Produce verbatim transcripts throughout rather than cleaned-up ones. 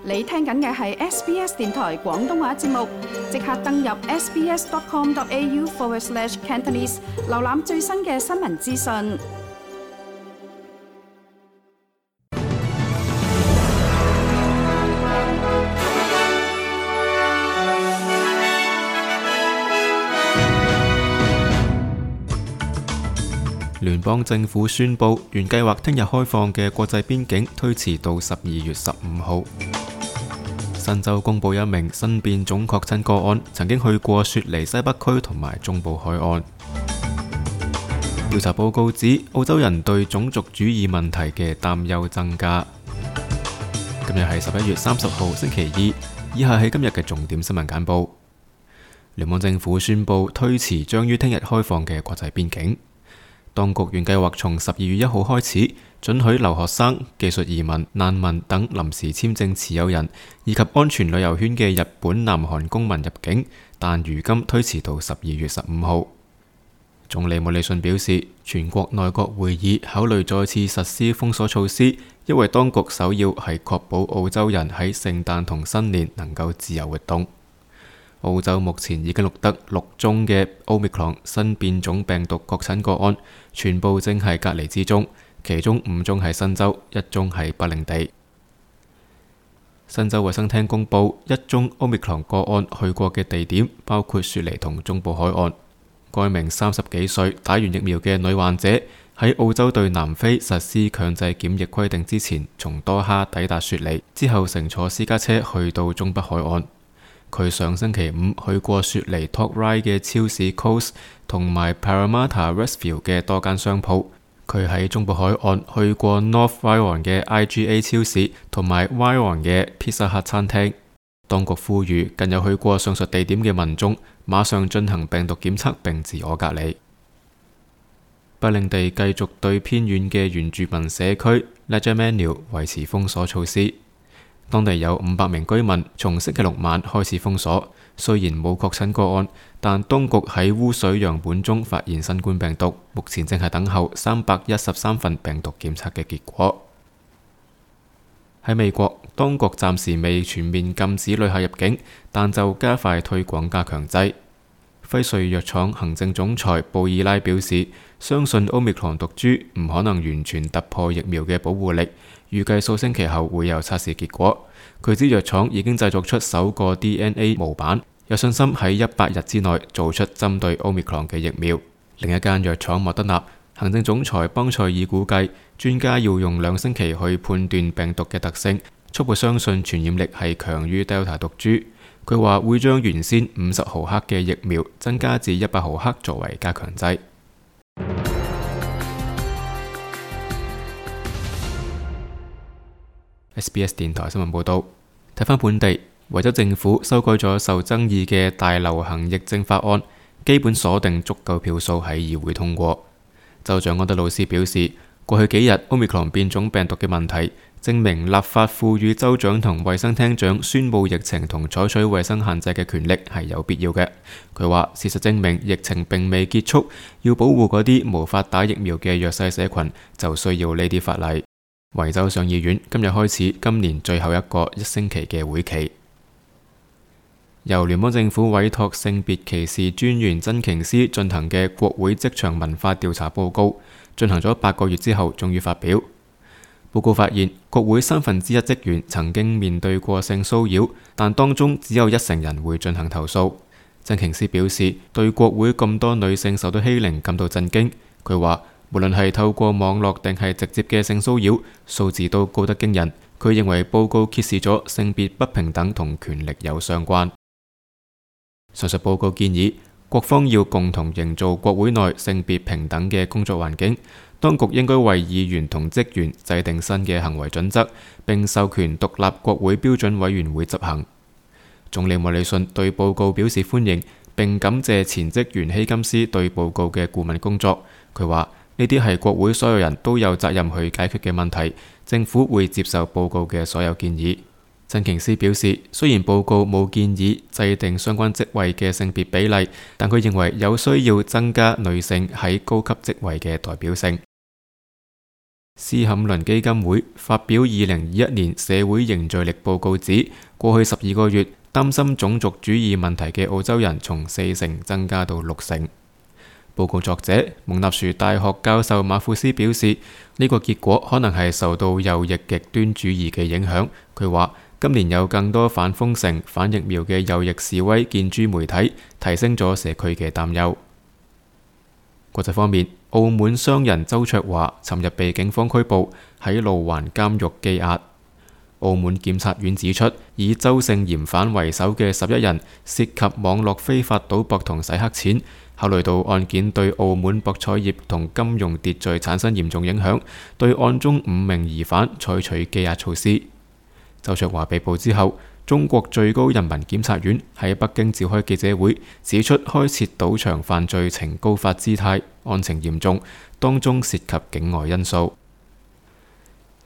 你聽緊嘅係 S B S 電台廣東話節目，即刻登入 sbs.com.au forward slash Cantonese， 瀏覽最新嘅新聞資訊。聯邦政府宣布，原計劃聽日開放嘅國際邊境推遲到十二月十五號。新州公布一名新變種確診個案，曾經去過雪梨西北區同埋中部海岸。調查報告指，澳洲人對種族主義問題嘅擔憂增加。今日係十一月三十號星期二，以下係今日嘅重點新聞簡報。聯邦政府宣布推遲將於聽日開放嘅國際邊境。當局原計劃從十二月一號開始，准許留學生、技術移民、難民等臨時簽證持有人，以及安全旅遊圈嘅日本、南韓公民入境，但如今推遲到十二月十五號。總理莫里遜表示，全國內閣會議考慮再次實施封鎖措施，因為當局首要係確保澳洲人喺聖誕同新年能夠自由活動。澳洲目前已經錄得六宗嘅 Omicron 新變種病毒確診個案，全部正係隔離之中，其中五宗係新州，一宗係北領地。新州衛生廳公佈一宗 Omicron 個案去過嘅地點包括雪梨同中部海岸。該名三十幾歲打完疫苗嘅女患者喺澳洲對南非實施強制檢疫規定之前，從多哈抵達雪梨，之後乘坐私家車去到中北海岸。佢上星期五去過雪梨 Top Ryde 嘅超市 Coles 同埋 Parramatta Westfield 嘅多間商鋪。佢喺中部海岸去過 North Ryong 嘅 I G A 超市同埋 Ryong 嘅 Pizza Hut 餐廳。當局呼籲近有去過上述地點嘅民眾馬上進行病毒檢測並自我隔離。北領地繼續對偏遠嘅原住民社區 Ledgermanu 維持封鎖措施。當地有五百名居民從星期六晚開始封鎖，雖然冇確診個案，但當局喺污水樣本中發現新冠病毒，目前正係等候三百一十三份病毒檢測嘅結果。喺美國，當局暫時未全面禁止旅客入境，但就加快推廣加強劑。輝瑞藥廠行政總裁布爾拉表示，相信 Omicron 毒株唔可能完全突破疫苗嘅保護力，預計數星期後會有測試結果。佢指藥廠已經製作出首個 D N A 模板，有信心喺一百日之內做出針對 Omicron 嘅疫苗。另一間藥廠莫德納行政總裁邦塞爾估計，專家要用兩星期去判斷病毒嘅特性，初步相信傳染力係強於 Delta 毒株。佢話會將原先五十毫克嘅疫苗增加至一百毫克作為加強劑。S B S 電台新聞報道，睇返本地，維州政府修改咗受爭議嘅大流行疫症法案，基本鎖定足夠票數喺議會通過。州長安德魯斯表示，過去幾日 Omicron 變種病毒嘅問題，證明立法賦予州長同衛生廳長宣佈疫情同採取衛生限制嘅權力係有必要嘅。佢話，事實證明疫情並未結束，要保護嗰啲無法打疫苗嘅弱勢社群，就需要呢啲法例。維州上議院今日開始今年最後一個一星期嘅會期。由聯邦政府委託性別歧視專員真瓊斯進行嘅國會職場文化調查報告，進行咗八個月之後終於發表。報告發現，國會三分之一職員曾經面對過性騷擾，但當中只有一成人會進行投訴。真瓊斯表示，對國會咁多女性受到欺凌感到震驚。佢話，無論係透過網絡定係直接嘅性騷擾，數字都高得驚人。佢認為報告揭示咗性別不平等同權力有相關。上述報告建議，各方要共同營造國會內性別平等嘅工作環境。當局應該為議員同職員制定新嘅行為準則，並授權獨立國會標準委員會執行。總理莫里遜對報告表示歡迎，並感謝前職員希金斯對報告嘅顧問工作。佢話，呢啲係國會所有人都有責任去解決嘅問題，政府會接受報告嘅所有建議。真瓊斯表示，雖然報告冇建議制定相關職位嘅性別比例，但佢認為有需要增加女性喺高級職位嘅代表性。斯坎倫基金會發表二零二一年社會凝聚力報告指，過去十二個月擔心種族主義問題嘅澳洲人從四成增加到六成。報告作者蒙納殊大學教授馬庫斯表示，呢個結果可能係受到右翼極端主義嘅影響。佢話今年有更多反封城、反疫苗嘅右翼示威見諸媒體，提升咗社區嘅擔憂。國際方面，澳門商人周卓華尋日被警方拘捕，喺路環監獄羈押。澳門檢察院指出，以周姓嫌犯為首嘅十一人涉及網絡非法賭博同洗黑錢，考慮到案件對澳門博彩業同金融秩序產生嚴重影響，對案中五名疑犯採取羈押措施。周卓華被捕之後，中國最高人民檢察院喺北京召開記者會，指出開設賭場犯罪呈高發姿態，案情嚴重，當中涉及境外因素。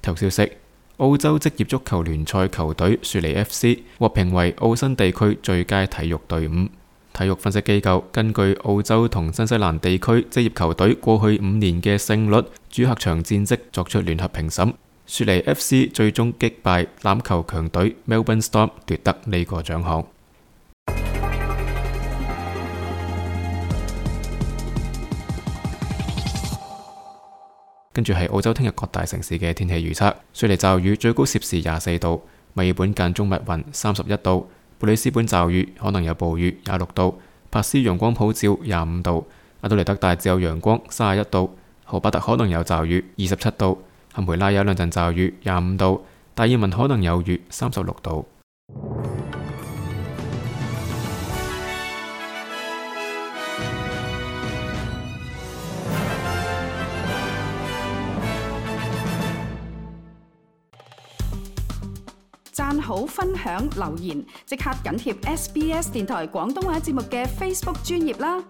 體育消息：澳洲職業足球聯賽球隊雪梨 F C 獲評為澳新地區最佳體育隊伍。體育分析機構根據澳洲同新西蘭地區職業球隊過去五年嘅勝率、主客場戰績作出聯合評審。雪梨 F C 最終擊敗欖球強隊 Melbourne Storm 奪得呢個獎項。跟住係澳洲聽日各大城市嘅天氣預測：雪梨驟雨，最高攝氏廿四度；墨爾本間中密雲，三十一度；布里斯本驟雨，可能有暴雨，廿六度；珀斯陽光普照，廿五度；阿德萊德大致有陽光，三十一度；荷巴特可能有驟雨，二十七度。坎培拉有兩陣驟雨，廿五度；達爾文可能有雨，三十六度。讚好、分享、留言，即刻緊貼 S B S 電台廣東話節目嘅 Facebook 專頁啦！